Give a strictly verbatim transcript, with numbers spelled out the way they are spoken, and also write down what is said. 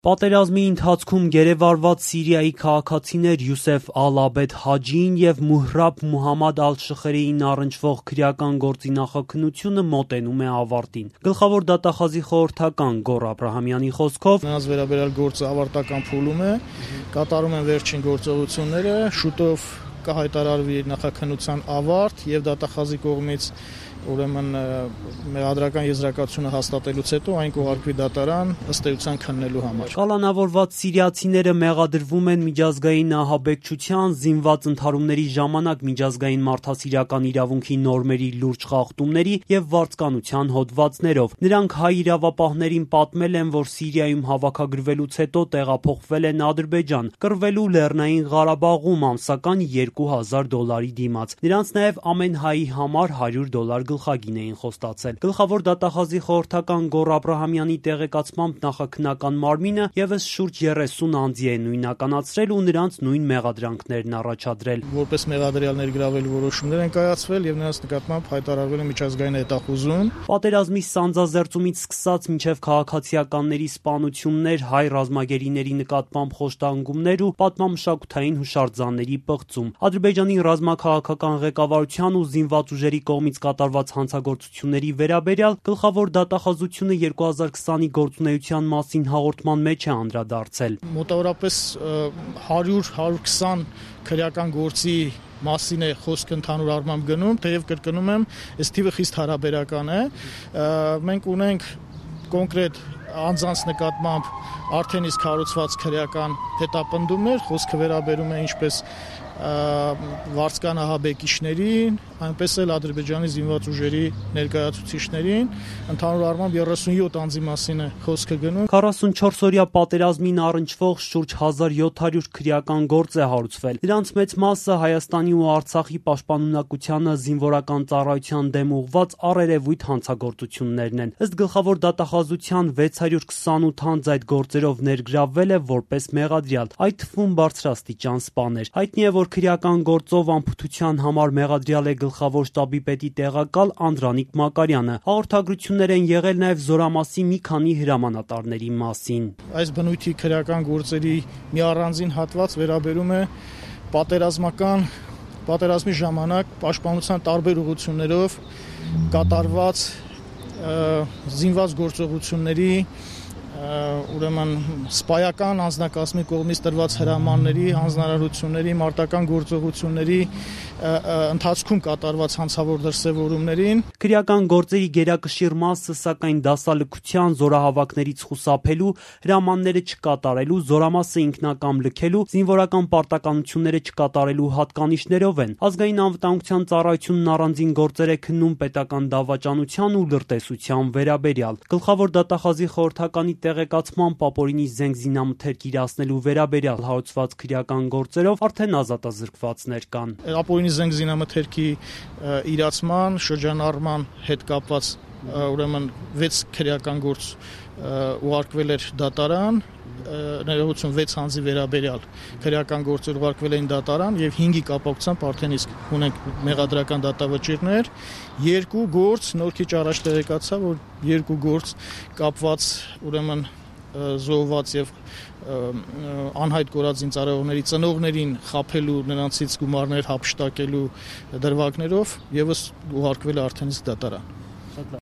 Պատերազմի ընթացքում գերեվարված Սիրիայի քաղաքացիներ Յուսեֆ Ալ-Աբեդ Հաջիին և Մուհրաբ Մուհամմադ Ալ-Շխերիին առնչվող քրեական գործի նախաքննությունը մոտենում է ավարտին։ Գլխավոր դատախազի խորհրդական Գոռ Աբրահամյանի խոսքով նրանց վերաբերյալ գործը ավարտական փուլում է, կատարում են վերջին գործողությունները, շուտով կհայտարարվի նախաքննության ավարտ և դատախազի կողմից ուրեմն մեղադրական եզրակացությունը հաստատելուց հետո այն կուղարկվի դատարան ըստ էության քննելու համար։ Կալանավորված սիրիացիները մեղադրվում են միջազգային ահաբեկչության, զինված ընդհարումների ժամանակ միջազգային մարդասիրական իրավունքի նորմերի լուրջ խախտումների և վարձկանության հոդվածներով։ Նրանք հայ իրավապահներին պատմել են, որ Սիրիայում հավաքագրվելուց հետո տեղափոխվել են Ադրբեջան, կռվելու Լեռնային Ղարաբաղում ամսական երկու հազար դոլարի դիմաց։ Նրանց նաև ամեն հայի համար հարյուր դոլար գլխագին էին խոստացել։ Գլխավոր դատախազի խորհրդական Գոռ Աբրահամյանի տեղեկացմամբ նախաքննական մարմինը ևս շուրջ երեսուն անձի է նույնականացրել ու նրանց նույն մեղադրանքներն առաջադրել։ Որպես մեղադրյալներ գրավելու որոշումներ են կայացվել և նրանց նկատմամբ հայտարարվել է միջազգային հետախուզում։ Պատերազմի սանձազերծումից սկսած մինչև քաղաքացիականների սպանություններ, հայ ռազմագերիների նկատմամբ խոշտանգումներ ու պատմամշակութային հուշարձանների պղծում, Ադրբեջանի ռազմաքաղաքական ղեկավարության ու զինված ուժերի կողմից կատարված հանցագործությունների վերաբերյալ գլխավոր դատախազությունը երկու հազար քսանի գործունեության մասին հաղորդման մեջ է անդրադարձել։ Մոտավորապես հարյուր հարյուր քսան քրեական գործի մասին է խոսքը ընդհանուր առմամբ գնում, թեև կրկնում եմ, այս թիվը խիստ հարաբերական է։ Մենք ունենք կոնկրետ անձանց նկատմամբ արդեն իսկ հարուցված քրեական հետապնդումներ, խոսքը վերաբերում է ինչպես վարձկան ահաբեկիչներին, այնպես էլ Ադրբեջանի զինված ուժերի ներկայացուցիչներին, ընդհանուր առմամբ երեսունյոթ անձի մասին է խոսքը գնում։ քառասունչորս-օրյա պատերազմին առնչվող շուրջ հազար յոթ հարյուր քրեական գործ է հարուցվել։ Դրանց մեծ մասը Հայաստանի ու Արցախի պաշտպանունակությանը զինվորական ծառայության դեմ ուղղված առերևույթ հանցագործություններն են։ Ըստ գլխավոր դատախազության վեց հարյուր քսանութ անձ այդ գործերով ներգրավվել է որպես մեղադրյալ, այդ թվում բարձրաստիճան սպաներ։ Հայտնի է, որ քրեական գործով անփութության համար մեղադրյալ է գլխավոր շտաբի պետի տեղակալ Անդրանիկ Մակարյանը։ Հաղորդագրություններ են եղել նաև զորամասի մի քանի հրամանատարների մասին։ Այս բնույթի քրեական գործերի մի առանձին հատված վերաբերում է պատերազմական պատերազմի ժամանակ պաշտպանության տարբեր ուղղություններով կատարված զինված գործողությունների ուրեմն սպայական անձնակազմի կողմից տրված հրամանների, հանձնարարությունների, մարտական գործողությունների ընթացքում կատարված հանցավոր դրսևորումներին։ Քրեական գործերի գերակշիռ մասը, սակայն դասալքության, զորահավաքներից խուսափելու, հրամանները չկատարելու, զորամասը ինքնակամ լքելու, զինվորական պարտականությունները չկատարելու հատկանիշներով են։ Ազգային անվտանգության ծառայությունն առանձին գործեր է քննում պետական դավաճանության ու լրտեսության վերաբերյալ։ Գլխավոր դատախազի խորհրդականի տեղեկացմամբ ապօրինի զենք զինամթերք իրացնելու վերաբերյալ հարուցված քրեական գործերով արդեն ազատազրկվածներ կան։ Ապօրինի զենք զինամթերքի իրացման, շրջանառման հետ կապված ուրեմն վեց քրեական գործ ուղարկվել էր դատարան, ներողություն վեց անձի վերաբերյալ քրեական գործեր ուղարկվել էին դատարան և հինգի կապակցությամբ արդեն իսկ ունենք մեղադրական դատավճիռներ, երկու գործ նոր քիչ առաջ տեղեկացա, որ երկու գործ կապված ուրեմն զոհված և անհայտ կորած զինծառայողների ծնողներին խաբելու, նրանցից գումարներ հափշտակելու դրվագներով ևս ուղարկվել է արդեն իսկ դատարան։